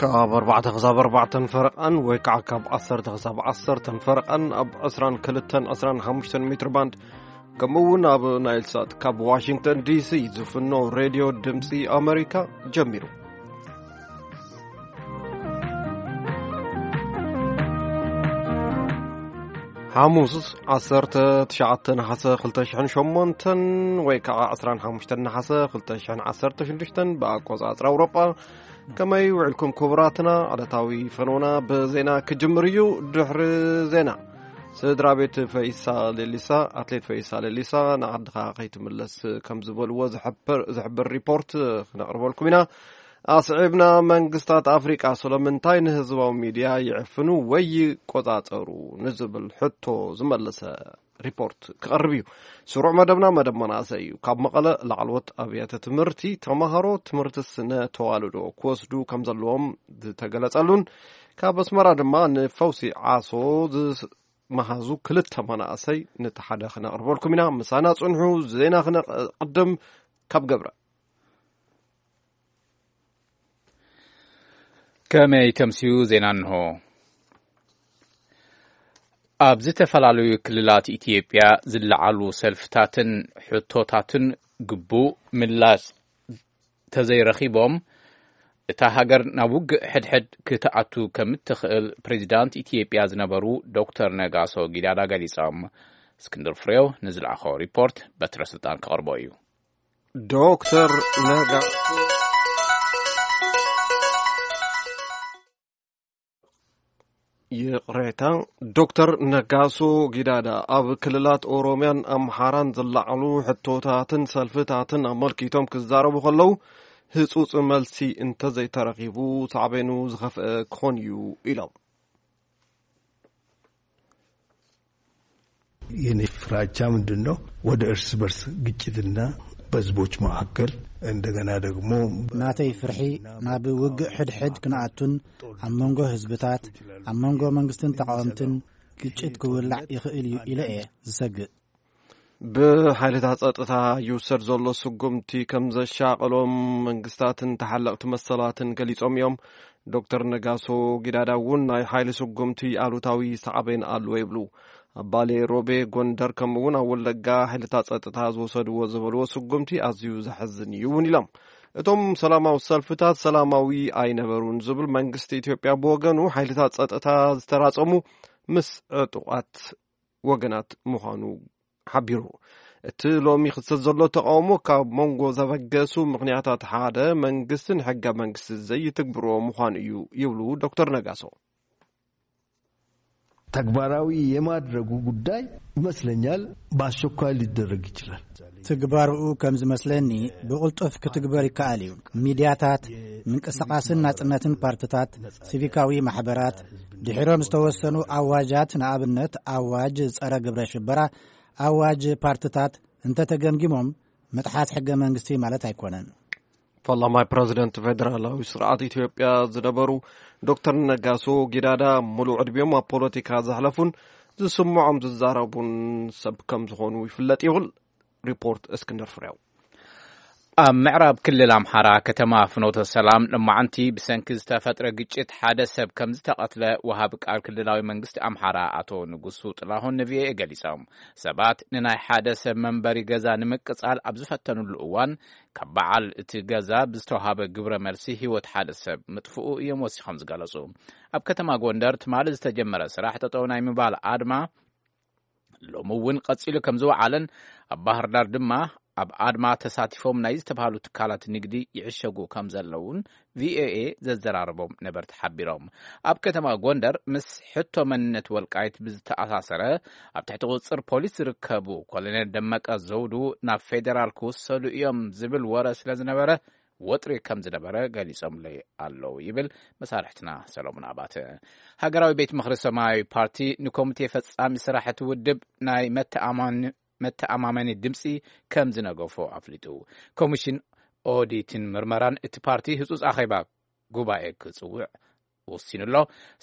ካብ ኣርባዕተ ክሳብ ኣርባዕተን ፈረቓን ወይ ከዓ ካብ ዓሰርተ ክሳብ ዓሰርተን ፈረቓን ኣብ ዕስራን ክልተን ዕስራን ሓሙሽተን ሜትር ባንድ፣ ከምኡ እውን ኣብ ናይል ሳት ካብ ዋሽንግተን ዲሲ ዝፍኖ ሬድዮ ድምፂ ኣመሪካ ጀሚሩ። ሓሙስ ዓሰርተ ትሽዓተ ነሓሰ ክልተ ሽሕን ሸሞንተን ወይ ከዓ ዕስራን ሓሙሽተን ነሓሰ ክልተ ሽሕን ዓሰርተ ሽዱሽተን ብኣቆፃፅራ ኣውሮጳ። ከመይ ውዕልኩም ክቡራትና? ዕለታዊ ፈነውና ብዜና ክጅምር እዩ። ድሕሪ ዜና፣ ስድራ ቤት ፈይሳ ሌሊሳ፣ ኣትሌት ፈይሳ ሌሊሳ፣ ንዓድኻ ከይትምለስ ከም ዝበልዎ ዝሕብር ዝሕብር ሪፖርት ክነቕርበልኩም ኢና። ኣስዒብና፣ መንግስታት ኣፍሪቃ ስለምንታይ ንህዝባዊ ሚድያ ይዕፍኑ ወይ ይቆጻጸሩ ንዝብል ሕቶ ዝመለሰ ሪፖርት ክቐርብ እዩ። ስሩዕ መደብና መደብ መናእሰይ እዩ። ካብ መቐለ ላዕለዎት ኣብያተ ትምህርቲ ተማሃሮ ትምህርቲ ስነ ተዋልዶ ክወስዱ ከም ዘለዎም ዝተገለጸሉን ካብ ኣስመራ ድማ ንፈውሲ ዓሶ ዝመሃዙ ክልተ መናእሰይ ነቲ ሓደ ክነቕርበልኩም ኢና። ምሳና ጽንሑ። ዜና ክነቕድም ካብ ገብረ። ከመይ ከምስዩ ዜና እንሆ። ኣብ ዝተፈላለዩ ክልላት ኢትዮጵያ ዝለዓሉ ሰልፍታትን ሕቶታትን ግቡእ ምላሽ ተዘይረኺቦም፣ እታ ሃገር ናብ ውግእ ሕድሕድ ክትኣቱ ከም እትኽእል ፕሬዚዳንት ኢትዮጵያ ዝነበሩ ዶክተር ነጋሶ ጊዳዳ ገሊጾም። እስክንድር ፍሬው ንዝለኣኾ ሪፖርት በትረ ስልጣን ክቐርቦ እዩ። ዶክተር ነጋ ይቕሬታ፣ ዶክተር ነጋሶ ጊዳዳ ኣብ ክልላት ኦሮሚያን ኣምሓራን ዝለዓሉ ሕቶታትን ሰልፍታትን ኣመልኪቶም ክዛረቡ ከለዉ፣ ህጹጽ መልሲ እንተዘይተረኺቡ ሳዕቤኑ ዝኸፍአ ክኾን እዩ ኢሎም። የኔ ፍራቻ ምንድን ነው? ወደ እርስ በርስ ግጭትና በህዝቦች መካከል እንደገና ደግሞ ናተይ ፍርሒ ናብ ውግእ ሕድሕድ ክንኣቱን ኣብ መንጎ ህዝብታት፣ ኣብ መንጎ መንግስትን ተቃወምትን ግጭት ክውላዕ ይኽእል እዩ ኢለ እየ ዝሰግእ። ብሓይልታት ጸጥታ ይውሰድ ዘሎ ስጉምቲ ከም ዘሻቐሎም መንግስታትን ተሓለቕቲ መሰላትን ገሊጾም እዮም። ዶክተር ነጋሶ ጊዳዳ እውን ናይ ሓይሊ ስጉምቲ ኣሉታዊ ሳዕቤን ኣለዎ ይብሉ። ኣብ ባሌ ሮቤ፣ ጎንደር፣ ከምኡ እውን ኣብ ወለጋ ሓይልታት ጸጥታ ዝወሰድዎ ዝበልዎ ስጉምቲ ኣዝዩ ዘሕዝን እዩ እውን ኢሎም። እቶም ሰላማዊ ሰልፍታት ሰላማዊ ኣይነበሩን ዝብል መንግስቲ ኢትዮጵያ ብወገኑ፣ ሓይልታት ጸጥታ ዝተራጸሙ ምስ ዕጡቓት ወገናት ምዃኑ ሓቢሩ። እቲ ሎሚ ክስተት ዘሎ ተቃውሞ ካብ መንጎ ዘበገሱ ምኽንያታት ሓደ መንግስትን ሕገ መንግስቲ ዘይትግብሮ ምዃኑ እዩ ይብሉ ዶክተር ነጋሶ። ተግባራዊ የማድረጉ ጉዳይ ይመስለኛል በአስቸኳይ ሊደረግ ይችላል። ትግባርኡ ከም ዝመስለኒ ብቕልጡፍ ክትግበር ይከኣል እዩ። ሚድያታት፣ ምንቅስቃስን ናጽነትን ፓርትታት፣ ሲቪካዊ ማሕበራት፣ ድሒሮም ዝተወሰኑ ኣዋጃት፣ ንኣብነት ኣዋጅ ጸረ ግብረ ሽበራ፣ ኣዋጅ ፓርትታት እንተተገምጊሞም ምጥሓስ ሕገ መንግስቲ ማለት ኣይኮነን። ፈላማይ ፕረዚደንት ፌደራላዊ ስርዓት ኢትዮጵያ ዝነበሩ ዶክተር ነጋሶ ጊዳዳ፣ ሙሉእ ዕድሚኦም ኣብ ፖለቲካ ዘሕለፉን ዝስምዖም ዝዛረቡን ሰብ ከም ዝኾኑ ይፍለጥ ይብል ሪፖርት እስክንድር ፍሬው። ኣብ ምዕራብ ክልል ኣምሓራ ከተማ ፍኖተ ሰላም፣ ሎማዓንቲ ብሰንኪ ዝተፈጥረ ግጭት ሓደ ሰብ ከም ዝተቐትለ ወሃቢ ቃል ክልላዊ መንግስቲ ኣምሓራ ኣቶ ንጉሱ ጥላሁን ንቪኦኤ ገሊጾም። ሰባት ንናይ ሓደ ሰብ መንበሪ ገዛ ንምቅጻል ኣብ ዝፈተኑሉ እዋን፣ ካብ በዓል እቲ ገዛ ብዝተዋሃበ ግብረ መልሲ ህይወት ሓደ ሰብ ምጥፍኡ እዮም ወሲኾም ዝገለጹ። ኣብ ከተማ ጎንደር ትማሊ ዝተጀመረ ስራሕ ጠጠው ናይ ምባል ኣድማ ሎሚ እውን ቀጺሉ ከም ዝወዓለን፣ ኣብ ባህር ዳር ድማ ኣብ ኣድማ ተሳቲፎም ናይ ዝተባህሉ ትካላት ንግዲ ይዕሸጉ ከም ዘለውን ቪኦኤ ዘዘራረቦም ነበርቲ ሓቢሮም። ኣብ ከተማ ጎንደር ምስ ሕቶ መንነት ወልቃይት ብዝተኣሳሰረ ኣብ ትሕቲ ቁጽጽር ፖሊስ ዝርከቡ ኮሎኔል ደመቀ ዘውዱ ናብ ፌዴራል ክውሰዱ እዮም ዝብል ወረ ስለ ዝነበረ፣ ወጥሪ ከም ዝነበረ ገሊጾምለይ ኣለዉ ይብል መሳርሕትና ሰሎሞን ኣባተ። ሃገራዊ ቤት ምኽሪ ሰማያዊ ፓርቲ ንኮሚቴ ፈጻሚ ስራሕ እቲ ውድብ ናይ መተኣማን-፣ መተኣማመኒ ድምጺ ከም ዝነገፎ ኣፍሊጡ። ኮሚሽን ኦዲትን ምርመራን እቲ ፓርቲ ህጹጽ ኣኼባ ጉባኤ ክጽውዕ ወሲኑ ኣሎ።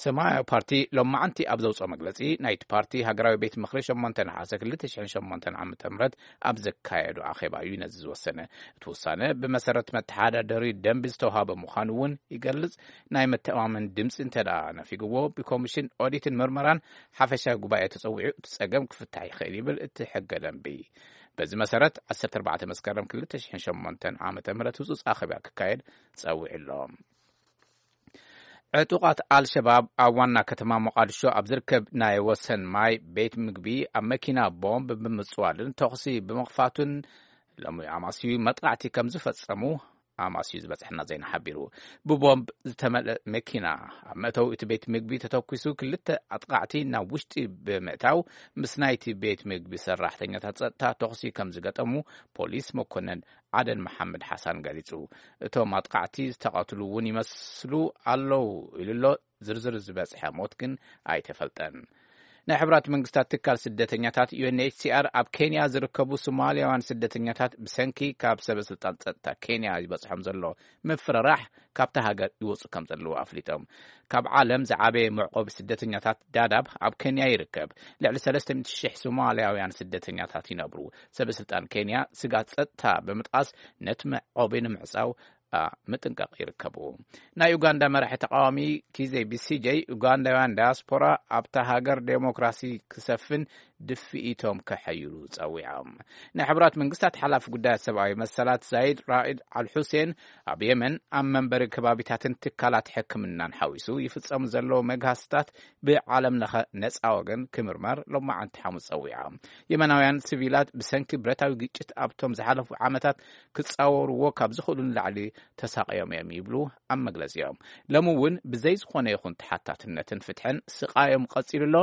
ሰማያዊ ፓርቲ ሎማዓንቲ ኣብ ዘውፅኦ መግለፂ፣ ናይቲ ፓርቲ ሃገራዊ ቤት ምኽሪ ሸሞንተ ነሓሰ ክልተ ሽሕን ሸሞንተን ዓመተ ምህረት ኣብ ዘካየዱ ኣኼባ እዩ ነዚ ዝወሰነ። እቲ ውሳነ ብመሰረት መተሓዳደሪ ደንቢ ዝተውሃበ ምዃኑ እውን ይገልጽ። ናይ መተማመን ድምፂ እንተ ደኣ ነፊግዎ፣ ብኮሚሽን ኦዲትን ምርመራን ሓፈሻዊ ጉባኤ ተጸዊዑ እቲ ጸገም ክፍታሕ ይኽእል ይብል እቲ ሕገ ደንቢ። በዚ መሰረት፣ ዓሰርተ ኣርባዕተ መስከረም ክልተ ሽሕን ሸሞንተን ዓመተ ምህረት ህጹጽ ኣኼባ ክካየድ ጸዊዑ ኣሎ። ዕጡቓት ኣልሸባብ ኣብ ዋና ከተማ ሞቓድሾ ኣብ ዝርከብ ናይ ወሰን ማይ ቤት ምግቢ ኣብ መኪና ቦምብ ብምጽዋልን ተኹሲ ብምኽፋቱን ሎሚ ኣማስዩ መጥቃዕቲ ከም ዝፈጸሙ ኣማስዩ ዝበጽሐና ዜና ሓቢሩ። ብቦምብ ዝተመልአ መኪና ኣብ መእተዊ እቲ ቤት ምግቢ ተተኲሱ፣ ክልተ ኣጥቃዕቲ ናብ ውሽጢ ብምእታው ምስ ናይቲ ቤት ምግቢ ሰራሕተኛታት ጸጥታ ተኹሲ ከም ዝገጠሙ ፖሊስ መኮነን ዓደን መሓመድ ሓሳን ገሊጹ። እቶም ኣጥቃዕቲ ዝተቐትሉ እውን ይመስሉ ኣለዉ ኢሉ ኣሎ። ዝርዝር ዝበጽሐ ሞት ግን ኣይተፈልጠን። ናይ ሕቡራት መንግስታት ትካል ስደተኛታት ዩ ኤን ኤች ሲ ኣር ኣብ ኬንያ ዝርከቡ ሶማልያውያን ስደተኛታት ብሰንኪ ካብ ሰበ ስልጣን ጸጥታ ኬንያ ይበጽሖም ዘሎ ምፍርራሕ ካብታ ሃገር ይወጹ ከም ዘለዉ ኣፍሊጦም። ካብ ዓለም ዝዓበየ መዕቆቢ ስደተኛታት ዳዳብ ኣብ ኬንያ ይርከብ። ልዕሊ ሰለስተ ሚእቲ ሺሕ ሶማልያውያን ስደተኛታት ይነብሩ። ሰበ ስልጣን ኬንያ ስጋት ጸጥታ ብምጥቃስ ነቲ መዕቆቢ ንምዕጻው ኣ፣ ምጥንቃቕ ይርከቡ። ናይ ኡጋንዳ መራሒ ተቃዋሚ ኪዜ ቢሲጄ፣ ኡጋንዳውያን ዳያስፖራ ኣብታ ሃገር ዴሞክራሲ ክሰፍን ድፍኢቶም ከሐይሉ ጸዊዖም። ናይ ሕቡራት መንግስታት ሓላፊ ጉዳያት ሰብኣዊ መሰላት ዛይድ ራኢድ ኣል ሑሴን፣ ኣብ የመን ኣብ መንበሪ ከባቢታትን ትካላት ሕክምናን ሓዊሱ ይፍጸሙ ዘለዉ መግሃስታት ብዓለም ለኸ ነጻ ወገን ክምርመር ሎማዓንቲ ሓሙስ ጸዊዖም። የመናውያን ሲቪላት ብሰንኪ ብረታዊ ግጭት ኣብቶም ዝሓለፉ ዓመታት ክጻወርዎ ካብ ዝኽእሉ ንላዕሊ ተሳቕዮም እዮም ይብሉ ኣብ መግለጺኦም። ሎሚ እውን ብዘይ ዝኾነ ይኹን ተሓታትነትን ፍትሕን ስቓዮም ቀጺሉ ኣሎ።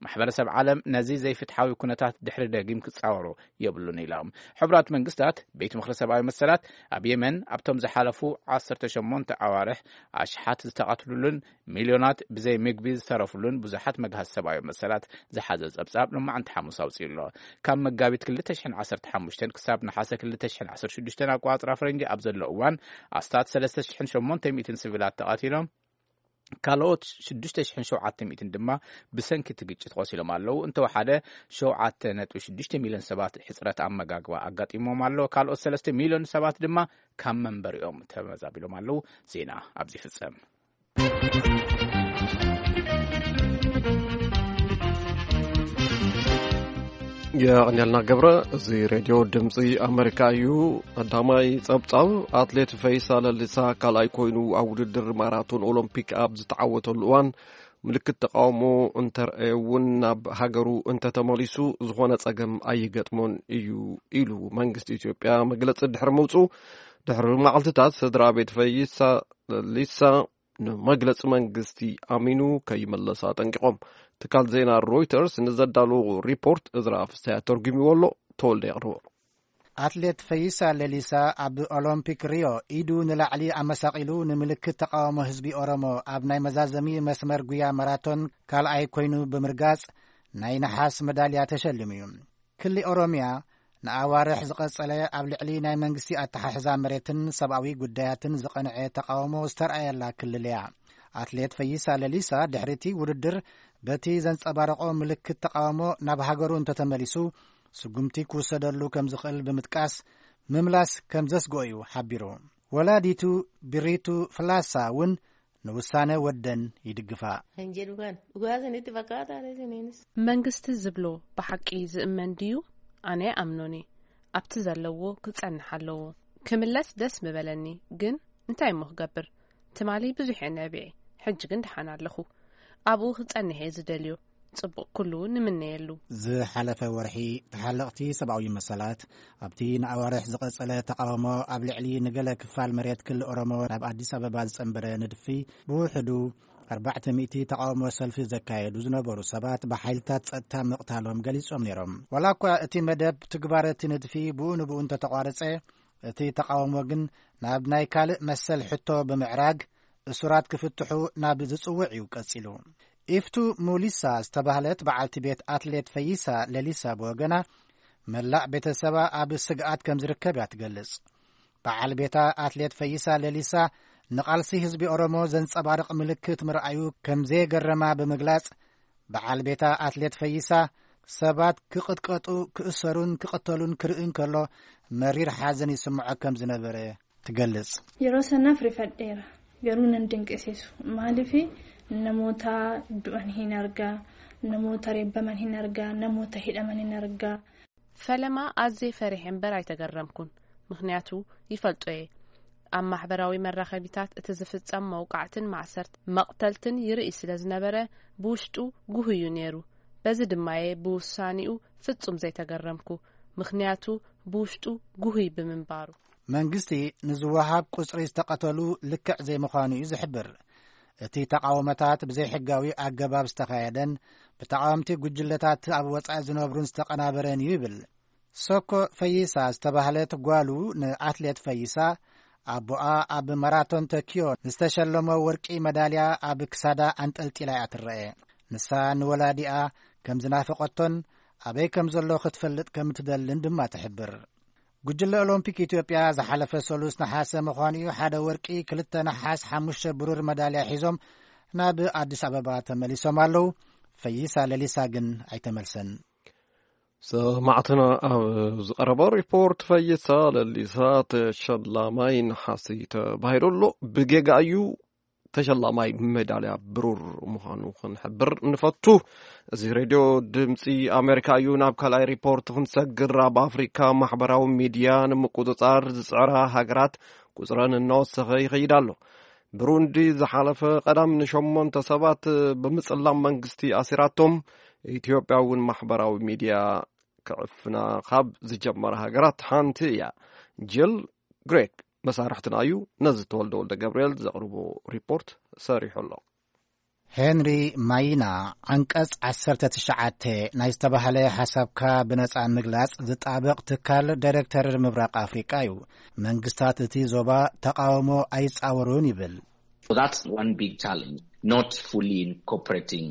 ማሕበረሰብ ዓለም ነዚ ዘይፍትሓዊ ኩነታት ድሕሪ ደጊም ክጻወሮ የብሉን ኢሎም። ሕቡራት መንግስታት ቤት ምኽሪ ሰብኣዊ መሰላት ኣብ የመን ኣብቶም ዝሓለፉ ዓሰርተ ሸሞንተ ኣዋርሕ ኣሽሓት ዝተቐትሉሉን ሚልዮናት ብዘይ ምግቢ ዝተረፉሉን ብዙሓት መግሃስ ሰብኣዊ መሰላት ዝሓዘ ጸብጻብ ሎማዓንቲ ሓሙስ ኣውጺኡ ኣሎ። ካብ መጋቢት ክልተ ሽሕን ዓሰርተ ሓሙሽተን ክሳብ ነሓሰ ክልተ ሽሕን ዓሰርተ ሽዱሽተን ኣቋጽራ ፈረንጂ ኣብ ዘሎ እዋን ኣስታት ሰለስተ ሽሕን ሸሞንተ ሚእትን ሲቪላት ተቐቲሎም፣ ካልኦት ሽዱሽተ ሽሕን ሸውዓተ ሚእትን ድማ ብሰንኪ እቲ ግጭት ቆሲሎም ኣለዉ። እንተወሓደ ሸውዓተ ነጥቢ ሽዱሽተ ሚልዮን ሰባት ሕጽረት ኣመጋግባ ኣጋጢሞም ኣሎ። ካልኦት ሰለስተ ሚልዮን ሰባት ድማ ካብ መንበሪኦም ተመዛቢሎም ኣለዉ። ዜና ኣብዚ ይፍጸም። የቐንየልና ገብረ። እዚ ሬድዮ ድምፂ ኣመሪካ እዩ። ቀዳማይ ጸብጻብ፣ ኣትሌት ፈይሳ ለሊሳ ካልኣይ ኮይኑ ኣብ ውድድር ማራቶን ኦሎምፒክ ኣብ ዝተዓወተሉ እዋን ምልክት ተቃውሞ እንተርኣየ እውን ናብ ሃገሩ እንተተመሊሱ ዝኾነ ጸገም ኣይገጥሞን እዩ ኢሉ መንግስቲ ኢትዮጵያ መግለጺ ድሕሪ ምውፁ፣ ድሕሪ መዓልትታት ስድራ ቤት ፈይሳ ለሊሳ ንመግለጺ መንግስቲ ኣሚኑ ከይመለስ ኣጠንቂቖም። ትካል ዜና ሮይተርስ ንዘዳለዎ ሪፖርት እዝራ ፍስሃያ ተርጉምዎ ኣሎ፣ ተወልደ የቕርቦ። ኣትሌት ፈይሳ ለሊሳ ኣብ ኦሎምፒክ ሪዮ ኢዱ ንላዕሊ ኣመሳቒሉ ንምልክት ተቃውሞ ህዝቢ ኦሮሞ ኣብ ናይ መዛዘሚ መስመር ጉያ ማራቶን ካልኣይ ኮይኑ ብምርጋጽ ናይ ነሓስ መዳልያ ተሸሊሙ እዩ። ክሊ ኦሮምያ ንኣዋርሕ ዝቐጸለ ኣብ ልዕሊ ናይ መንግስቲ ኣተሓሕዛ መሬትን ሰብኣዊ ጉዳያትን ዝቐንዐ ተቃውሞ ዝተርኣየላ ክልል እያ። ኣትሌት ፈይሳ ለሊሳ ድሕሪቲ ውድድር በቲ ዘንጸባረቖ ምልክት ተቃውሞ ናብ ሃገሩ እንተተመሊሱ ስጉምቲ ክውሰደሉ ከም ዝኽእል ብምጥቃስ፣ ምምላስ ከም ዘስግኦ እዩ ሓቢሩ። ወላዲቱ ቢሪቱ ፍላሳ እውን ንውሳነ ወደን ይድግፋ። Kan jedhu kan dhugaa isinitti fakkaata isiniinis. መንግስቲ ዝብሎ ብሓቂ ዝእመን ድዩ? ኣነ ኣምኖኒ ኣብቲ ዘለዎ ክጸንሕ ኣለዎ። ክምለስ ደስ ምበለኒ፣ ግን እንታይ እሞ ክገብር? ትማሊ ብዙሕ እየ ነቢዐ፣ ሕጂ ግን ደሓን ኣለኹ። ኣብኡ ክጸንሕ እየ ዝደልዮ። ጽቡቕ ኩሉ ንምነየሉ። ዝሓለፈ ወርሒ ተሓለቕቲ ሰብኣዊ መሰላት ኣብቲ ንኣዋርሕ ዝቐጸለ ተቓውሞ ኣብ ልዕሊ ንገለ ክፋል መሬት ክልል ኦሮሞ ናብ ኣዲስ ኣበባ ዝጸንበረ ንድፊ ብውሕዱ ኣርባዕተ ሚእቲ ተቓውሞ ሰልፊ ዘካየዱ ዝነበሩ ሰባት ብሓይልታት ጸጥታ ምቕታሎም ገሊጾም ነይሮም። ዋላ እኳ እቲ መደብ ትግባረ እቲ ንድፊ ብኡ ንብኡ እንተተቋረጸ፣ እቲ ተቓውሞ ግን ናብ ናይ ካልእ መሰል ሕቶ ብምዕራግ እሱራት ክፍትሑ ናብ ዝጽውዕ እዩ ቀጺሉ። ኢፍቱ ሙሊሳ ዝተባህለት በዓልቲ ቤት ኣትሌት ፈይሳ ለሊሳ ብወገና፣ መላእ ቤተሰባ ኣብ ስግኣት ከም ዝርከብ እያ ትገልጽ። በዓል ቤታ ኣትሌት ፈይሳ ለሊሳ ንቓልሲ ህዝቢ ኦሮሞ ዘንጸባርቕ ምልክት ምርኣዩ ከም ዘየገረማ ብምግላጽ፣ በዓል ቤታ ኣትሌት ፈይሳ ሰባት ክቕጥቀጡ፣ ክእሰሩን ክቕተሉን ክርኢ እንከሎ መሪር ሓዘን ይስምዖ ከም ዝነበረ ትገልጽ። Yeroo sanaaf rifadheera, garuu nan dinqisiisu. Maaliif? Namoota du'an hin argaa, namoota reebbaman hin argaa, namoota hidhaman hin argaa. ፈለማ ኣዝየ ፈሪሐ እምበር ኣይተገረምኩን። ምኽንያቱ ይፈልጦ እየ። ኣብ ማሕበራዊ መራኸቢታት እቲ ዝፍጸም መውቃዕትን ማእሰርት መቕተልትን ይርኢ ስለ ዝነበረ ብውሽጡ ጉህ እዩ ነይሩ። በዚ ድማየ ብውሳኔኡ ፍጹም ዘይተገረምኩ። ምኽንያቱ ብውሽጡ ጉህይ ብምንባሩ። መንግስቲ ንዝወሃብ ቁጽሪ ዝተቐተሉ ልክዕ ዘይምዃኑ እዩ ዝሕብር። እቲ ተቓውሞታት ብዘይሕጋዊ ኣገባብ ዝተኻየደን ብተቓወምቲ ጉጅለታት ኣብ ወጻኢ ዝነብሩን ዝተቐናበረን እዩ ይብል። ሶኮ ፈይሳ ዝተባህለት ጓሉ ንኣትሌት ፈይሳ ኣቦኣ ኣብ ማራቶን ቶኪዮ ንዝተሸለሞ ወርቂ መዳልያ ኣብ ክሳዳ ኣንጠልጢላ እያ ትረአ። ንሳ ንወላዲኣ ከም ዝናፈቐቶን ኣበይ ከም ዘሎ ክትፈልጥ ከም ትደልን ድማ ትሕብር። ጉጅለ ኦሎምፒክ ኢትዮጵያ ዝሓለፈ ሰሉስ ነሓሰ ምዃኑ እዩ ሓደ ወርቂ፣ ክልተ ነሓስ፣ ሓሙሽተ ብሩር መዳልያ ሒዞም ናብ ኣዲስ ኣበባ ተመሊሶም ኣለዉ። ፈይሳ ለሊሳ ግን ኣይተመልሰን። ሰማዕትና ኣብ ዝቐረበ ሪፖርት ፈይሳ ለሊሳ ተሸላማይ ነሓሲ ተባሂሉ ኣሎ። ብጌጋ እዩ ተሸላማይ ሜዳልያ ብሩር ምዃኑ ክንሕብር ንፈቱ። እዚ ሬድዮ ድምፂ ኣሜሪካ እዩ። ናብ ካልኣይ ሪፖርት ክንሰግር፣ ኣብ ኣፍሪካ ማሕበራዊ ሚድያ ንምቁፅፃር ዝፅዕራ ሃገራት ቁፅረን እናወሰኸ ይኸይድ ኣሎ። ብሩንዲ ዝሓለፈ ቀዳም ንሸሞንተ ሰባት ብምፅላም መንግስቲ ኣሲራቶም። ኢትዮጵያ እውን ማሕበራዊ ሚድያ ክዕፍና ካብ ዝጀመረ ሃገራት ሓንቲ እያ። ጅል ግሬክ መሳርሕትና እዩ። ነዚ ተወልደ ወልደ ገብርኤል ዘቕርቦ ሪፖርት ሰሪሑ ኣሎ። ሄንሪ ማይና ዓንቀጽ ዓሰርተ ትሽዓተ ናይ ዝተባህለ ሓሳብካ ብነጻ ምግላጽ ዝጣበቕ ትካል ዳይሬክተር ምብራቕ ኣፍሪቃ እዩ። መንግስታት እቲ ዞባ ተቃውሞ ኣይጻወሩን ይብል። So that's one big challenge, not fully incorporating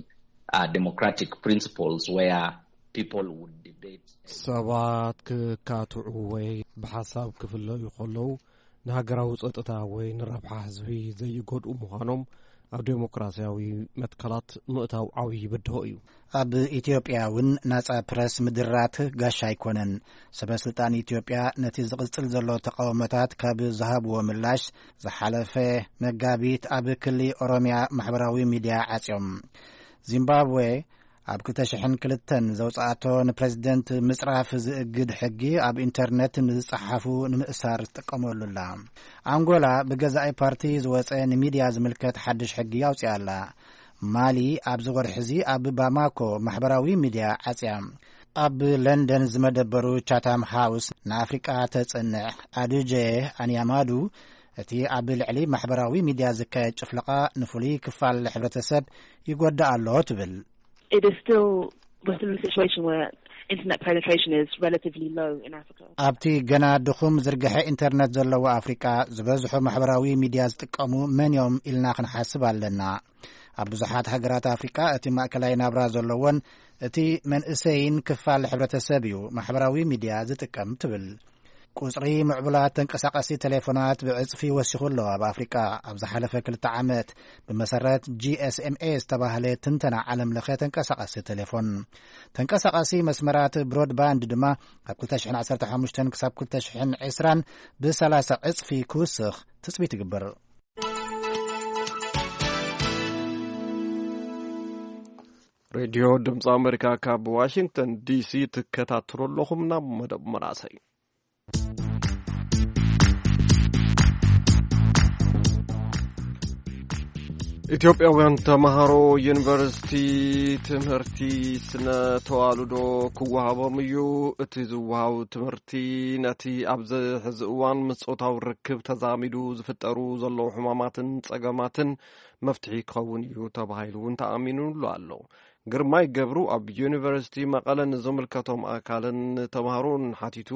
uh, democratic principles where people would debate. ሰባት ክካትዑ ወይ ብሓሳብ ክፍለዩ ከለዉ ንሃገራዊ ጸጥታ ወይ ንረብሓ ህዝቢ ዘይጎድኡ ምዃኖም ኣብ ዴሞክራሲያዊ መትከላት ምእታው ዓብዪ ብድሆ እዩ። ኣብ ኢትዮጵያ እውን ናጻ ፕረስ ምድራት ጋሻ ኣይኮነን። ሰበ ስልጣን ኢትዮጵያ ነቲ ዝቕጽል ዘሎ ተቃውሞታት ካብ ዝሃብዎ ምላሽ፣ ዝሓለፈ መጋቢት ኣብ ክሊ ኦሮሚያ ማሕበራዊ ሚድያ ዓጽዮም። ዚምባብዌ ኣብ ክልተ ሽሕን ክልተን ዘውጽኣቶ ንፕረዚደንት ምጽራፍ ዝእግድ ሕጊ ኣብ ኢንተርነት ንዝጸሓፉ ንምእሳር ትጥቀመሉ ኣላ። ኣንጎላ ብገዛኢ ፓርቲ ዝወጸ ንሚድያ ዝምልከት ሓድሽ ሕጊ ኣውጺኣ ኣላ። ማሊ ኣብዚ ወርሒ እዚ ኣብ ባማኮ ማሕበራዊ ሚድያ ዓጽያ። ኣብ ለንደን ዝመደበሩ ቻታም ሃውስ ንኣፍሪቃ ተጽንዕ ኣዱጀ ኣንያማዱ፣ እቲ ኣብ ልዕሊ ማሕበራዊ ሚድያ ዝካየድ ጭፍለቓ ንፍሉይ ክፋል ሕብረተሰብ ይጎዳእ ኣሎ ትብል። It is still, we're still in a situation where internet penetration is relatively low in Africa. ኣብቲ ገና ድኹም ዝርግሐ ኢንተርነት ዘለዎ ኣፍሪቃ፣ ዝበዝሑ ማሕበራዊ ሚድያ ዝጥቀሙ መን እዮም ኢልና ክንሓስብ ኣለና። ኣብ ብዙሓት ሃገራት ኣፍሪቃ እቲ ማእከላይ ናብራ ዘለዎን እቲ መንእሰይን ክፋል ሕብረተሰብ እዩ ማሕበራዊ ሚድያ ዝጥቀም ትብል። ቁጽሪ ምዕቡላት ተንቀሳቐሲ ቴሌፎናት ብዕጽፊ ወሲኹ ኣሎ ኣብ ኣፍሪቃ ኣብ ዝሓለፈ ክልተ ዓመት፣ ብመሰረት ጂ ኤስ ኤም ኤ ዝተባህለ ትንተና ዓለም ለኸ ተንቀሳቐሲ ቴሌፎን። ተንቀሳቐሲ መስመራት ብሮድባንድ ድማ ካብ ክልተ ሽሕን ዓሰርተ ሓሙሽተን ክሳብ ክልተ ሽሕን ዕስራን ብሰላሳ ዕጽፊ ክውስኽ ትጽቢት ይግበር። ሬድዮ ድምፂ ኣሜሪካ ካብ ዋሽንግተን ዲሲ ትከታተሉ ኣለኹም። ናብ መደብ መናእሰይ። ኢትዮጵያውያን ተምሃሮ ዩኒቨርሲቲ ትምህርቲ ስነ ተዋልዶ ክወሃቦም እዩ። እቲ ዝወሃብ ትምህርቲ ነቲ ኣብዚ ሕዚ እዋን ምስ ጾታዊ ርክብ ተዛሚዱ ዝፍጠሩ ዘለዉ ሕማማትን ጸገማትን መፍትሒ ክኸውን እዩ ተባሂሉ እውን ተኣሚኑሉ ኣሎ። ግርማይ ገብሩ ኣብ ዩኒቨርሲቲ መቐለ ንዝምልከቶም ኣካልን ተምሃሮን ሓቲቱ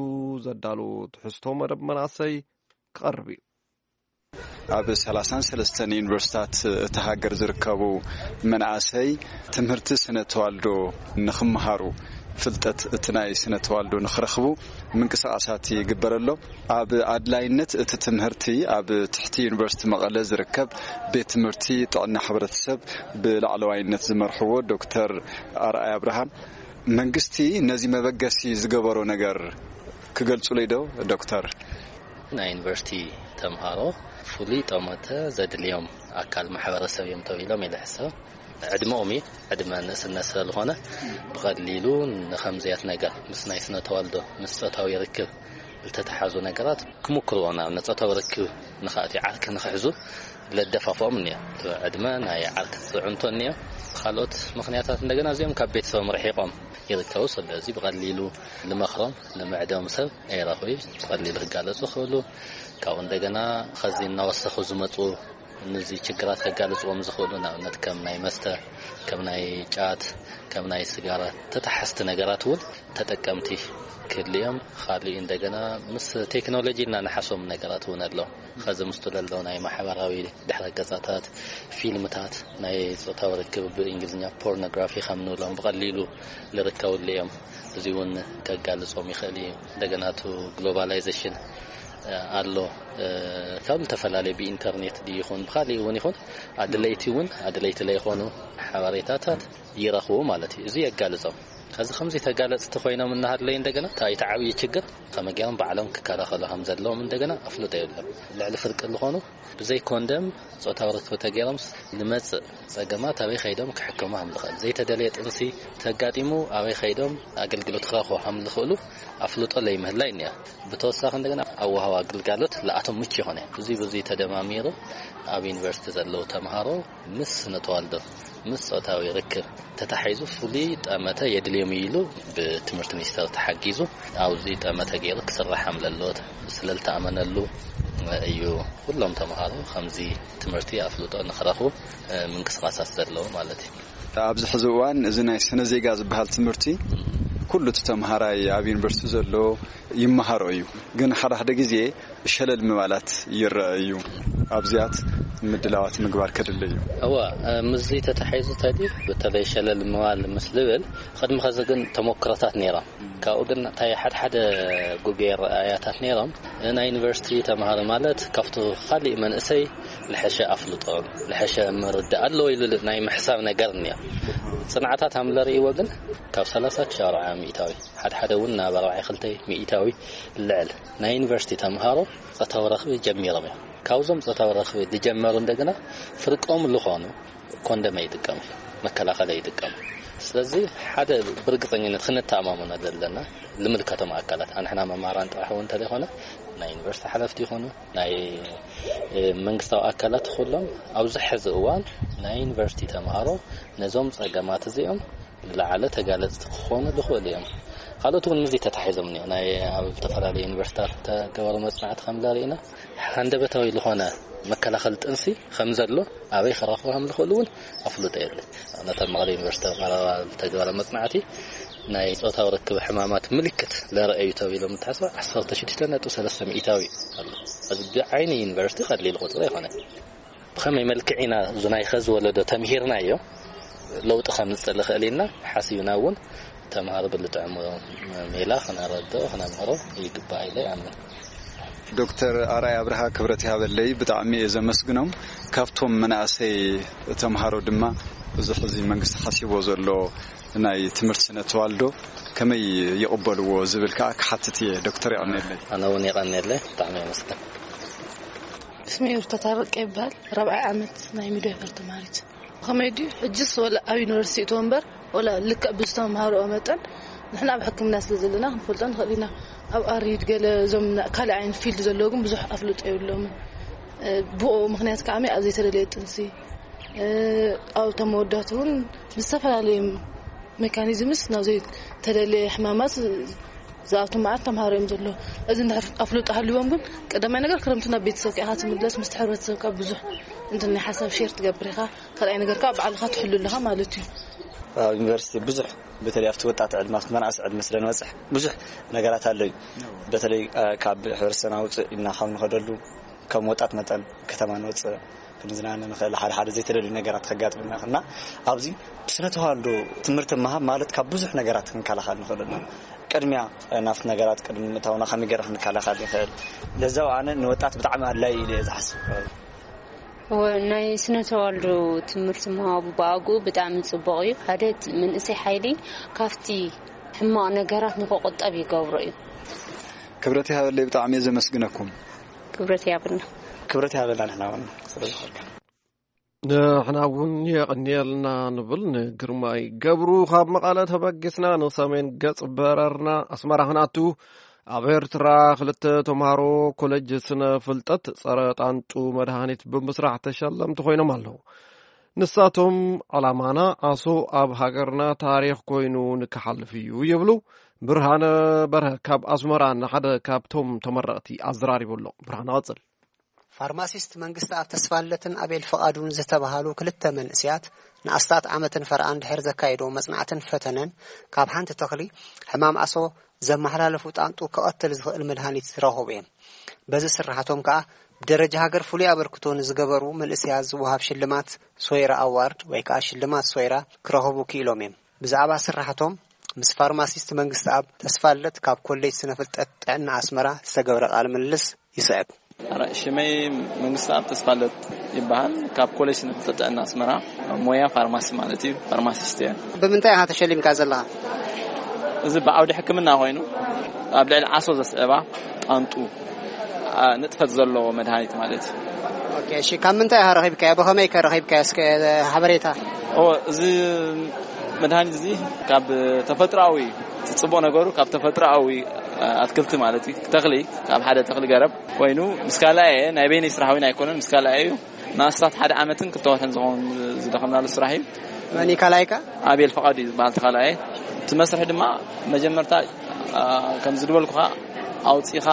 ዘዳሎ ትሕዝቶ መደብ መናእሰይ ክቐርብ እዩ። ኣብ ሰላሳን ሰለስተን ዩኒቨርሲታት እታ ሃገር ዝርከቡ መናእሰይ ትምህርቲ ስነ ተዋልዶ ንኽመሃሩ ፍልጠት እቲ ናይ ስነ ተዋልዶ ንኽረኽቡ ምንቅስቓሳት ይግበር ኣሎ። ኣብ ኣድላይነት እቲ ትምህርቲ ኣብ ትሕቲ ዩኒቨርሲቲ መቐለ ዝርከብ ቤት ትምህርቲ ጥዕና ሕብረተሰብ ብላዕለዋይነት ዝመርሕዎ ዶክተር ኣርኣይ ኣብርሃም መንግስቲ ነዚ መበገሲ ዝገበሮ ነገር ክገልጹለይ ዶ ዶክተር? ናይ ዩኒቨርሲቲ ተምሃሮ ፍሉይ ጠመተ ዘድልዮም ኣካል ማሕበረሰብ እዮም ተባሂሎም ኢለ ሕሰብ። ዕድመኦም እዩ፣ ዕድመ ንእስነት ስለ ዝኾነ ብቐሊሉ ንኸምዚያት ነገር ምስ ናይ ስነ ተዋልዶ ምስ ፆታዊ ርክብ ዝተተሓዙ ነገራት ክምክርዎ ናብ ፆታዊ ርክብ ንኽኣትዩ ዓርኪ ንኽሕዙ ለደፋፍኦም እኒኦ። ዕድመ ናይ ዓርኪ ዝፅዕንቶ እኒኦ። ካልኦት ምኽንያታት እንደገና እዚኦም ካብ ቤተሰቦም ርሒቆም ይርከቡ። ስለዚ ብቐሊሉ ልመኽሮም ልምዕዶም ሰብ ኣይረኽቡ። ብቐሊሉ ክጋለፁ ክኽእሉ ካብኡ እንደገና ኸዚ እናወሰኹ ዝመፁ ንዚ ችግራት ከጋልፅዎም ዝኽእሉ ንኣብነት ከም ናይ መስተ ከም ናይ ጫት ከም ናይ ስጋራ ተተሓዝቲ ነገራት እውን ተጠቀምቲ ክህልዮም። ካሊእ እንደገና ምስ ቴክኖሎጂ ኢልና ንሓሶም ነገራት እውን ኣሎ። ኸዚ ምስቱ ለሎ ናይ ማሕበራዊ ድሕረ ገፃታት ፊልምታት ናይ ፆታዊ ርክብ ብእንግሊዝኛ ፖርኖግራፊ ከም ንብሎም ብቐሊሉ ዝርከብሉ እዮም። እዚ እውን ከጋልፆም ይኽእል እዩ። እንደገና ቱ ግሎባላይዜሽን ኣሎ። ካብ ዝተፈላለዩ ብኢንተርኔት ድዩ ይኹን ብካሊእ እውን ይኹን ኣድለይቲ እውን ኣድለይቲ ለይኾኑ ሓበሬታታት ይረኽቡ ማለት እዩ። እዚ የጋልፆም። ከዚ ከምዚ ተጋለፅቲ ኮይኖም እናሃለዩ እንደገና እቲ ዓብዪ ችግር ከመይ ገይሮም ባዕሎም ክከላኸሉ ከም ዘለዎም እንደገና ኣፍልጦ የብሎም። ልዕሊ ፍርቂ ዝኾኑ ብዘይ ኮንደም ፆታዊ ርክብ ተገይሮም ዝመፅእ ፀገማት ኣበይ ከይዶም ክሕከሙ ከም ዝኽእል ዘይተደለየ ጥንሲ ተጋጢሙ ኣበይ ከይዶም ኣገልግሎት ክረኽቡ ከም ዝኽእሉ ኣፍልጦ ለይምህላይ እኒኣ። ብተወሳኺ እንደገና ኣወሃዋ ግልጋሎት ለኣቶም ምቹ ይኾነ። ብዙ ብዙ ተደማሚሩ ኣብ ዩኒቨርሲቲ ዘለዉ ተምሃሮ ምስ ስነ ተዋልዶ ምስ ፆታዊ ርክብ ተታሒዙ ፍሉይ ጠመተ የድልዮም ኢሉ ብትምህርቲ ሚኒስተር ተሓጊዙ ኣብዚ ጠመተ ገይሩ ክስራሕ ከም ዘለዎ ስለልተኣመነሉ እዩ። ኩሎም ተምሃሮ ከምዚ ትምህርቲ ኣፍልጦ ንክረኽቡ ምንቅስቃሳት ዘለዎ ማለት እዩ። ኣብዚ ሕዚ እዋን እዚ ናይ ስነ ዜጋ ዝበሃል ትምህርቲ ኩሉ እቲ ተምሃራይ ኣብ ዩኒቨርሲቲ ዘሎ ይመሃሮ እዩ። ግን ሓደ ሓደ ግዜ ሸለል ምባላት ይረአ እዩ። ኣብዚኣት ምድላዋት ምግባር ከድሊ እዩ። እወ፣ ምስዚ ተታሒዙ ተዲ በተለይ ሸለል ምባል ምስ ልብል ቅድሚ ኸዚ ግን ተሞክሮታት ነይሮም። ካብኡ ግን እንታይ ሓድሓደ ጉጌ ረኣያታት ነይሮም። ናይ ዩኒቨርሲቲ ተምሃሮ ማለት ካብቲ ካሊእ መንእሰይ ልሐሸ ኣፍልጦ ልሐሸ ምርዳእ ኣለዎ ኢሉ ናይ ምሕሳብ ነገር እኒኦ። ፅንዓታት ሃምለ ርእይዎ ግን ካብ ሰላሳ ክሻብ ኣርብዓ ሚእታዊ ሓድሓደ እውን ናብ ኣርባዓ ክልተ ሚእታዊ ልዕል ናይ ዩኒቨርሲቲ ተምሃሮ ፆታዊ ረኽቢ ጀሚሮም እዮም። ካብዞም ፆታዊ ረኽቢ ዝጀመሩ እንደገና ፍርቆም ዝኾኑ ኮንደም ኣይጥቀሙ፣ መከላኸሊ ኣይጥቀሙ። ስለዚ ሓደ ብርግፀኝነት ክንተኣማመኖ ዘለና ልምልከቶም ኣካላት ኣንሕና መማራን ጥራሕ እውን እንተዘይኮነ ናይ ዩኒቨርሲቲ ሓለፍቲ ይኾኑ ናይ መንግስታዊ ኣካላት ኩሎም ኣብዚ ሕዚ እዋን ናይ ዩኒቨርሲቲ ተምሃሮ ነዞም ፀገማት እዚኦም ንላዕለ ተጋለፅቲ ክኾኑ ዝኽእሉ እዮም። ካልኦት እውን ምስዚ ተታሒዞም እኒኦ ናይ ኣብ ዝተፈላለዩ ዩኒቨርሲታት ተገበሩ መፅናዕቲ ከም ዘርእና ሃንደበታዊ ዝኾነ መከላኸሊ ጥንሲ ከም ዘሎ ኣበይ ክረኽቡ ከም ዝኽእሉ እውን ኣፍልጦ የለን። ኣብነት ኣብ መቐለ ዩኒቨርሲቲ ቀረባ ዝተገበረ መፅናዕቲ ናይ ፆታዊ ርክብ ሕማማት ምልክት ለረአዩ ተባሂሎም እንተሓስባ ዓሰርተ ሽዱሽተ ነጥቢ ሰለስተ ሚእታዊ ኣሎ። እዚ ብዓይኒ ዩኒቨርሲቲ ቀሊል ቁፅሪ ኣይኮነን። ብኸመይ መልክዕ ኢና እዚ ናይ ኸዚ ወለዶ ተምሂርናዮ ለውጢ ከምፅእ ልኽእል ኢልና ሓሲብና እውን ተምሃሮ ብልጥዕሞ ሜላ ክነረድኦ ክነምህሮ ይግባእ ኢለ ይኣምን። ዶክተር ኣርኣይ ኣብርሃ ክብረት ይሃበለይ ብጣዕሚ እየ ዘመስግኖም። ካብቶም መናእሰይ ተምሃሮ ድማ እዚ ሕዚ መንግስቲ ሓሲቦ ዘሎ ናይ ትምህርቲ ስነ ተዋልዶ ከመይ ይቕበልዎ ዝብል ከዓ ክሓትት እየ ዶክተር። የቐንየለይ። ኣነ እውን የቐንየለይ። ብጣዕሚ የመስግን። ስሜ ሩታ ታረቀ ይበሃል። ራብዓይ ዓመት ናይ ሚድዋይፈር ተምሃሪት። ከመይ ድዩ ሕጅስ ወላ ኣብ ዩኒቨርሲቲ እቶ እምበር ወላ ልክዕ ብዝተምሃርኦ መጠን ንሕና ኣብ ሕክምና ስለ ዘለና ክንፈልጦ ንኽእል ኢና። ኣብ ኣሪድ ገለ እዞም ካልእ ዓይነት ፊልድ ዘለዉ ግን ብዙሕ ኣፍልጦ የብሎምን። ብኡ ምክንያት ከዓ ኣብ ዘይተደለየ ጥንሲ ኣብ ተመወዳት እውን ብዝተፈላለዩ ሜካኒዝምስ ናብ ዘይተደለየ ሕማማት ዝኣቱ መዓት ተምሃሮ እዮም ዘለዉ። እዚ እንድሕር ኣፍልጦ ሃልዎም ግን ቀዳማይ ነገር ክረምቲ ናብ ቤተሰብ ከኢኻ ትምለስ ምስቲ ሕብረተሰብካ ብዙሕ እንትን ናይ ሓሳብ ሼር ትገብር ኢኻ። ካልኣይ ነገር ከዓ ባዕልኻ ትሕሉ ኣለኻ ማለት እዩ። ኣብ ዩኒቨርሲቲ ብዙሕ በተለይ ኣብቲ ወጣት ዕድመ ኣብቲ መናእሰ ዕድመ ስለ ንበፅሕ ብዙሕ ነገራት ኣሎ እዩ። በተለይ ካብ ሕብረተሰብና ውፅእ ኢልና ካብ ንኸደሉ ከም ወጣት መጠን ከተማ ንወፅእ ክንዝናነ ንኽእል፣ ሓደ ሓደ ዘይተደልዩ ነገራት ከጋጥመና ይኽእልና። ኣብዚ ብስነ ተዋልዶ ትምህርቲ ምሃብ ማለት ካብ ብዙሕ ነገራት ክንከላኸል ንኽእል ኢና። ቅድሚያ ናብቲ ነገራት ቅድሚ ምእታውና ከመይ ገይረ ክንከላኸል ንኽእል፣ ለዛው ኣነ ንወጣት ብጣዕሚ ኣድላይ ኢለ እየ ዝሓስብ። ናይ ስነ ተዋልዶ ትምህርቲ ምሃቡ ብኣግኡ ብጣዕሚ ጽቡቕ እዩ። ሓደ መንእሰይ ሓይሊ ካብቲ ሕማቕ ነገራት ንክቑጠብ ይገብሮ እዩ። ክብረት ይሃበለይ፣ ብጣዕሚ እየ ዘመስግነኩም። ክብረት ይሃበልና። ክብረት ይሃበልና ንሕና እውን ስለዝኾንካ። ንሕና እውን የቐንየልና ንብል ንግርማይ ገብሩ። ካብ መቐለ ተበጊስና ንሰሜን ገጽ በረርና ኣስመራ ክንኣቱ፣ ኣብ ኤርትራ ክልተ ተምሃሮ ኮለጅ ስነ ፍልጠት ጸረ ጣንጡ መድሃኒት ብምስራሕ ተሸለምቲ ኮይኖም ኣለዉ። ንሳቶም፣ ዕላማና ዓሶ ኣብ ሃገርና ታሪኽ ኮይኑ ንክሓልፍ እዩ ይብሉ። ብርሃነ በርሀ ካብ ኣስመራ ንሓደ ካብቶም ተመረቕቲ ኣዘራሪቡ ኣሎ። ብርሃነ፣ ቀጽል። ፋርማሲስት መንግስቲ ኣብ ተስፋለትን ኣቤል ፍቓዱን ዝተባሃሉ ክልተ መንእስያት ንኣስታት ዓመትን ፈርኣን ድሕር ዘካየዶ መጽናዕትን ፈተነን፣ ካብ ሓንቲ ተኽሊ ሕማም ኣሶ ዘመሓላለፉ ጣንጡ ክቐትል ዝኽእል መድሃኒት ዝረኸቡ እዮም። በዚ ስራሓቶም ከኣ ብደረጃ ሃገር ፍሉይ ኣበርክቶ ንዝገበሩ መንእስያት ዝወሃብ ሽልማት ሶይራ ኣዋርድ ወይ ከኣ ሽልማት ሶይራ ክረኸቡ ክኢሎም እዮም። ብዛዕባ ስራሕቶም ምስ ፋርማሲስት መንግስቲ ኣብ ተስፋለት ካብ ኮሌጅ ስነ ፍልጠት ጥዕና ኣስመራ ዝተገብረ ቃለ ምልልስ ይስዕብ። ኣረ፣ ሽመይ መንግስቲ ኣብ ተስፋለት ይበሃል። ካብ ኮሌጅ ስነ ፍልጠት ጥዕና ኣስመራ፣ ሞያ ፋርማሲ ማለት እዩ። ፋርማሲስት እየ። ብምንታይ ኢኻ ተሸሊምካ ዘለኻ? እዚ ብዓውዲ ሕክምና ኮይኑ ኣብ ልዕሊ ዓሶ ዘስዕባ ጣንጡ፣ ኣ፣ ንጥፈት ዘለዎ መድሃኒት ማለት እዩ። ኦኬ፣ እሺ፣ ካብ ምንታይ ኢኻ ረኺብካዮ? ብኸመይ ከ ረኺብካዮ? እስከ ሓበሬታ። ኦ፣ እዚ መድሃኒት እዚ ካብ ተፈጥሮኣዊ፣ እቲ ጽቡቕ ነገሩ ካብ ተፈጥሮኣዊ፣ ኣ፣ ኣትክልቲ ማለት እዩ፣ ተኽሊ፣ ካብ ሓደ ተኽሊ ገረብ ኮይኑ ምስ ካልኣየ ናይ በይነይ ስራሕ እውን ኣይኮነን፣ ምስ ካልኣየ እዩ። ንኣስታት ሓደ ዓመትን ክልተ ወርሕን ዝኸውን ዝደኸምናሉ ስራሕ እዩ። መን እዩ ካልኣይካ? ኣቤል ፍቓዱ እዩ ዝበሃል እቲ ካልኣየ። እቲ መስርሒ ድማ መጀመርታ፣ ኣ፣ ከም ዝድበልኩኻ ኣውጺኻ፣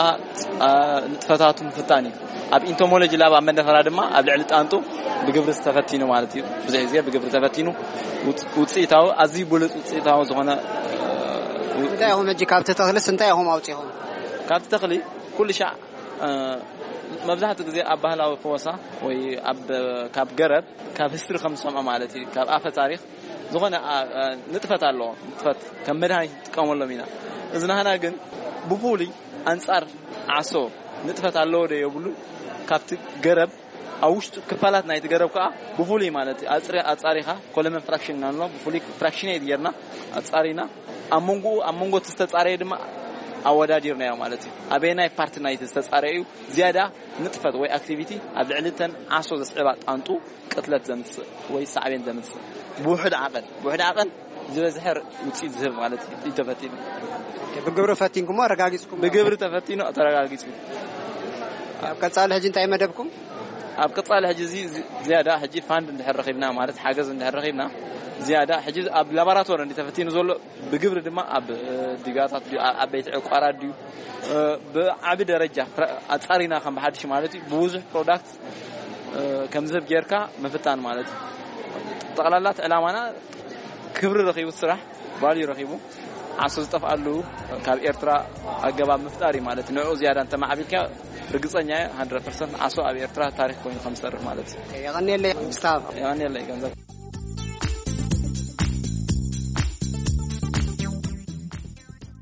ኣ፣ ንጥፈታቱ ምፍታን እዩ። ኣብ ኢንቶሞሎጂ ላብ ኣብ መንደፈራ ድማ ኣብ ልዕሊ ጣንጡ ብግብሪ ተፈቲኑ ማለት እዩ። ብዙሕ ግዜ ብግብሪ ተፈቲኑ ውጽ-፣ ውጽኢታዊ፣ ኣዝዩ ብሉጽ ውጽኢታዊ ዝኾነ፣ እ፣ እንታይ ኢኹም ሕጂ ካብቲ ተኽልስ እንታይ ኢኹም ኣውጺኹም? ካብቲ ተኽሊ ኩሉ ሻዕ፣ እ፣ መብዛሕትኡ ግዜ ኣብ ባህላዊ ፈወሳ ወይ ኣብ፣ ካብ ገረብ፣ ካብ ሂስትሪ ከም ዝሰምዖ ማለት እዩ፣ ካብ ኣፈ ታሪኽ ዝኾነ፣ ኣ፣ ኣ፣ ንጥፈት ኣለዎ። ንጥፈት ከም መድሃኒት ንጥቀመሎም ኢና። እዚ ናህና ግን ብፍሉይ ኣንጻር ዓሶ ንጥፈት ኣለዎ ዶ የብሉን፣ ካብቲ ገረብ ኣብ ውሽጡ ክፋላት ናይቲ ገረብ ከኣ ብፍሉይ ማለት እዩ፣ ኣጽሪ-፣ ኣጻሪኻ ኮለመን ፍራክሽን ኢና ንብሎ፣ ብፍሉይ ፍራክሽኔት ጌርና ኣጻሪና፣ ኣብ መንጎኡ፣ ኣብ መንጎ እቲ ዝተጻረየ ድማ ኣወዳዲርናዮ ማለት እዩ። ኣበየናይ ፓርቲ ናይቲ ዝተጻረየ እዩ ዝያዳ ንጥፈት ወይ ኣክቲቪቲ ኣብ ልዕሊ እተን ዓሶ ዘስዕባ ጣንጡ ቅትለት ዘምጽእ ወይ ሳዕቤን ዘምጽእ ብውሑድ ዓቐን፣ ብውሑድ ዓቐን ዝበዝሐ ውጽኢት ዝህብ ማለት እዩ ተፈቲኑ። ብግብሪ ፈቲንኩሞ ኣረጋጊጽኩም? ብግብሪ ተፈቲኑ ተረጋጊጹ። ኣብ ቀጻሊ ሕጂ እንታይ መደብኩም? ኣብ ቀጻሊ ሕጂ እዚ ዚ-፣ ዝያዳ ሕጂ ፋንድ እንድሕር ረኺብና ማለት ሓገዝ እንድሕር ረኺብና ዝያዳ ሕጂ ኣብ ላቦራቶሪ እንዲ ተፈቲኑ ዘሎ ብግብሪ ድማ ኣብ፣ እ፣ ዲጋታት ድዩ፣ ኣብ ዓበይቲ ዕቋራት ድዩ፣ እ፣ ብዓቢ ደረጃ ፕራ-፣ ኣጻሪና ከም ብሓድሽ ማለት እዩ ብብዙሕ ፕሮዳክት፣ እ፣ ከም ዝህብ ጌርካ ምፍታን ማለት እዩ። ጠቕላላት ዕላማና ክብሪ ረኺቡ ስራሕ ቫልዩ ረኺቡ ዓሶ ዝጠፍኣሉ ካብ ኤርትራ ኣገባብ ምፍጣር እዩ ማለት እዩ። ንዕኡ ዝያዳ እንተማዕቢልካ ርግጸኛ እየ፣ ሃንድረድ ፐርሰንት ዓሶ ኣብ ኤርትራ ታሪኽ ኮይኑ ከም ዝሰርሕ ማለት እዩ። የቐንየለይ ምስታፍ። የቐንየለይ ገንዘብ።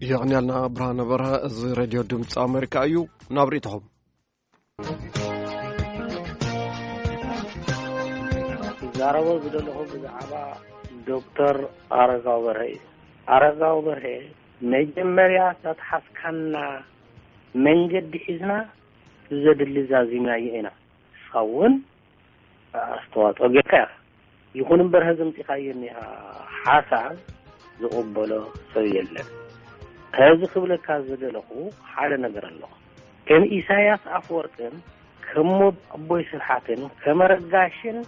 የቐንያልና ብርሃነ በርሀ። እዚ ሬድዮ ድምፂ ኣሜሪካ እዩ። ናብ ርእይቶኹም። ክዛረቦ ዝደለኹ ብዛዕባ ዶክተር ኣረጋዊ በርሀ እዩ። ኣረጋዊ በርሀ መጀመርያ ዘትሓዝካና መንገዲ ሒዝና ዘድሊ ዛዚምናዮ ኢና። ንስኻ እውን ኣስተዋፅኦ ጌርካ ኢኻ። ይኹን እምበር፣ ሀዚ ኣምፂኻዮ እኒኻ ሓሳብ ዝቕበሎ ሰብ የለን። ሀዚ ክብለካ ዝደለኹ ሓደ ነገር ኣሎ። ከም ኢሳያስ ኣፈወርቅን ከም ኣቦይ ስብሓትን ከም ኣረጋሽን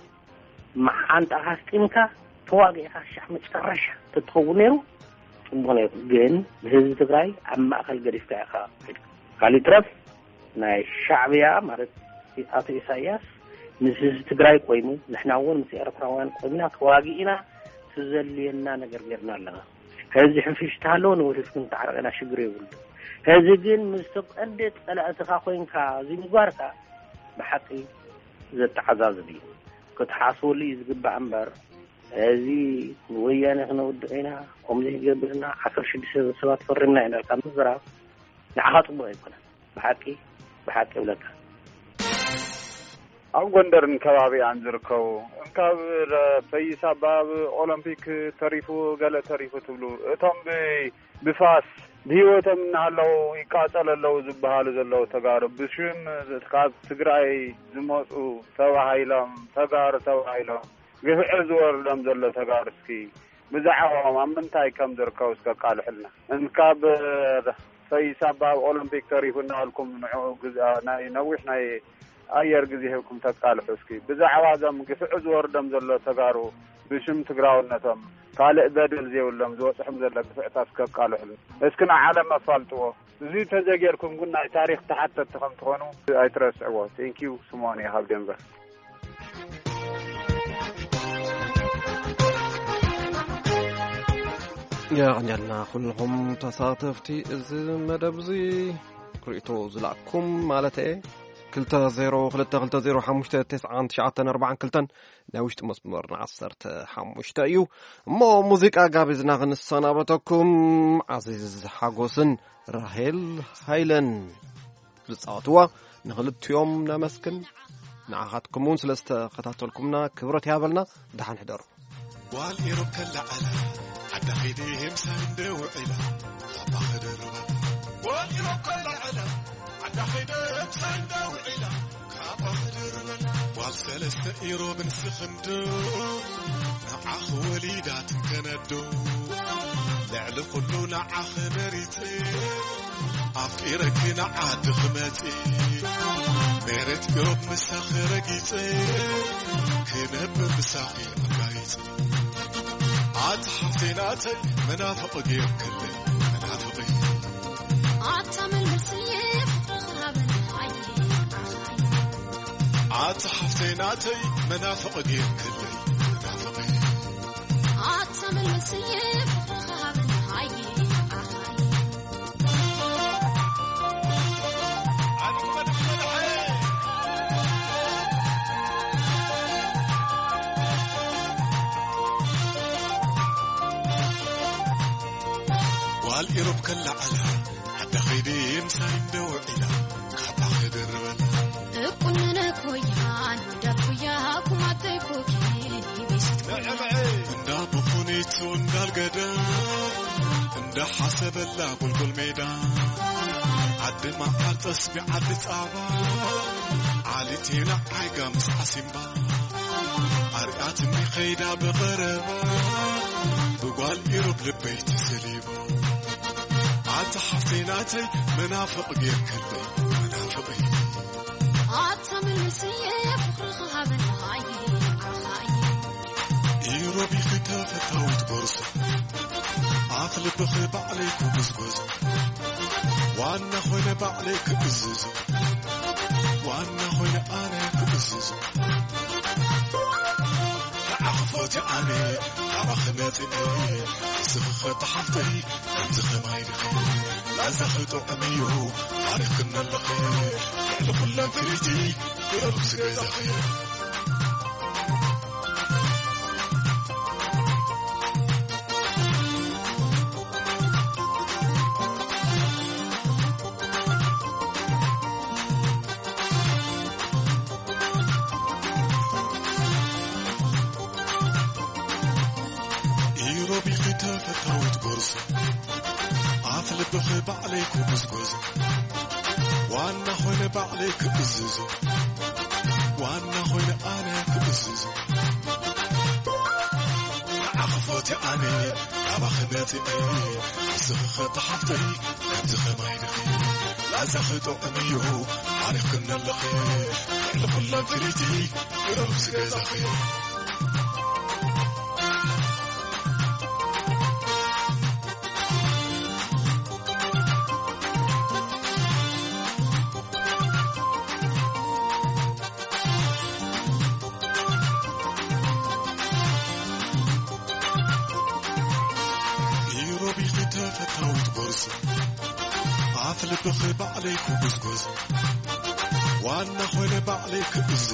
መሓንጣ ኣስጢምካ ተዋጊእካ ክሻዕ መጨረሻ ተትኸውን ነይሩ ጽቡቕ ነይሩ። ግን ንህዝቢ ትግራይ ኣብ ማእከል ገዲፍካ ኢኻ ከድካ። ካልእ ይትረፍ ናይ ሻዕብያ ማለት ኣቶ ኢሳያስ ምስ ህዝቢ ትግራይ ኮይኑ ንሕና እውን ምስ ኤርትራውያን ኮይንና ተዋጊእና ትዘልየና ነገር ጌርና ኣለና። ሕዚ ሕንፍሽታ ኣለዎ ንወደፊት ክንተዓረቕ ኢና ሽግር የብሉ። ሕዚ ግን ምስ ተቐደ ጸላእትኻ ኮይንካ እዚ ምግባርካ ብሓቂ ዘተዓዛዝብ እዩ። ክትሓስበሉ እዩ ዝግባእ እምበር፣ እዚ ንወያነ ክነውድቕ ኢና፣ ከምዚ ይገብርና፣ ዓሰርተ ሽዱሽተ ሰባት ፈሪምና ኢና ኢልካ ምዝራብ ንዓኻ ጽቡቕ ኣይኮነን። ብሓቂ፣ ብሓቂ እብለካ። ኣብ ጎንደርን ከባቢኣን ዝርከቡ፣ እንካብ ፈይሳ ኣብ ኦሎምፒክ ተሪፉ፣ ገለ ተሪፉ ትብሉ፣ እቶም ብ-፣ ብፋስ ብህይወቶም እናሃለዉ ይቃጸሉ ኣለዉ ዝበሃሉ ዘለዉ ተጋሩ፣ ብሽም ካብ ትግራይ ዝመጹ ተባሂሎም፣ ተጋሩ ተባሂሎም፣ ግፍዒ ዝወርዶም ዘሎ ተጋሩ፣ እስኪ ብዛዕባኦም ኣብ ምንታይ ከም ዝርከቡ እስከ ኣቃልሑልና። እንካብ ፈይሳ ኣብ ኦሎምፒክ ተሪፉ እናበልኩም ንዕኡ ግዝ-፣ ናይ ነዊሕ ናይ ኣየር ግዜ ሂብኩም ተቃልሑ እስኪ። ብዛዕባ እዞም ግፍዒ ዝወርዶም ዘሎ ተጋሩ ብሽም ትግራውነቶም ካልእ በደል ዘይብሎም ዝበፅሖም ዘሎ ግፍዕታት እስከ ኣቃልሑልና። እስኪ ንዓለም ኣፋልጥዎ። እዚ ተዘጌርኩም ግን ናይ ታሪኽ ተሓተትቲ ከም ትኾኑ ኣይትረስዕዎ። Thank you፣ ስምኦን እየ ካብ ዴንቨር። የቐንየልና ኩልኹም ተሳተፍቲ እዚ መደብ እዚ፣ ክርእቶ ዝላእኩም ማለት እየ። ክልተ ዜሮ ክልተ ክልተ ዜሮ ሓሙሽተ ተስዓን ትሽዓተን ኣርባዓን ክልተን ናይ ውሽጢ መስመርና ዓሰርተ ሓሙሽተ እዩ። እሞ ሙዚቃ ጋቢዝና ክንሰናበተኩም፣ ዓዚዝ ሓጎስን ራሄል ሃይለን ዝጻወትዋ ንኽልቲኦም ነመስግን። ንዓኻትኩም እውን ስለ ዝተኸታተልኩምና ክብረት ይሃበልና። ደሓን ሕደሩ። ጓል ኢሮብ ከለዓላ ዓዳ ኸይደ ምሳይ እንደ ውዒላ ካባ ክድርባ። ጓል ኢሮብ ከለዓላ ዓዳ ኸይደ ምሳይ እንደ ውዒላ ካባ ክድርባ። ጓል ሰለስተ ኢሮብ ንስኽንዶ ንዓኽ ወሊዳ ትንከነዶ። ልዕሊ ኩሉ ንዓኽ መሪጸ ኣፍቂረኪ ንዓዲ ክመጺ። መሬት ኢሮብ ምሳኺ ረጊጸ ክነብር ምሳኺ ኣጋይጸ። ኣቲ ሓፍተይ ናተይ መናፍቕ ጌርክለይ መናፍቕ። ኣታ መልመስየ ፍቕርኻ ሃበኒ ኣየ ኣኻየ። ኣቲ ሓፍተይ ናተይ መናፍቕ ጌርክለይ መናፍቕ። ኣታ መልመስየ ፍቕርኻ ሃበኒ ኣየ ኣኻየ። ጓል ኢሮብ ከላ ዓላ ዓዳ ኸይደ ምሳይ እንደ ውዒላ ካባ ክድርበላ። እቁንነ ኮያን ወዳ ኩያ ኩማተይ ኮኪ ቢስት ኮያ። እንዳ ብኹኒቱ እንዳልገደ እንዳ ሓሰበላ ጎልጎል ሜዳ ዓዲ መዓር ጠስቢ ዓዲ ጻባ ዓሊቴና ዓይጋ ምስ ዓሲምባ ኣርያትኒ ኸይዳ ብቐረባ ብጓል ኢሮብ ልበይ ተሰሊባ። ኣታ ሓፍተይ ናተይ መናፍቕ ጌርክለይ መናፍቕ። ኣታ መልስየ ፍቕርኻ ሃበኒ ኣየ ኣኻየ። ኢሮቢኺ ተፈታዊት ጎርዞ ኣፍ ልብኺ ባዕለይ ክጉዝጎዞ ዋና ኾይነ ባዕለይ ክእዝዞ ዋና ኾይነ ኣነ ክእዝዞ። ንዓኺ ፎቲ ኣነ ናባኺ መጺኤ ንስኺ ኸተሓፍተይ ከምዚ ኸማይ ዲኺ ላዛኺ ጥዑም እዩ ኣሪኽክኒ ኣለኺ ልዕሊ ኹለን ፍልይቲ ብረብሲ ገዛኺ። ኢሮቢኺ ተፈታዊት ጎርዞ ኣፍ ልብኺ ባዕለይ ክጉዝጎዞ ዋና ኾይነ ባዕለይ ክእዝዞ ዋና ኾይነ ኣነ ክእዝዞ። ንዓኺ ፎቲ ኣነ ናባኺ መጺኤ ንስኺ ኸተሓፍተይ ከምዚ ኸማይ ዲኺ ላዛኺ ጥዑም እዩ ኣሪኽክኒ ኣለኺ ልዕሊ ኹለን ፍልይቲ ግረብ ዝገዛኺ። ኢሮቢኺ ተፈታዊት ጎርዞ ኣፍ ልብኺ ባዕለይ ክጉዝጎዝ ዋና ኾይነ ባዕለይ ክእዝዞ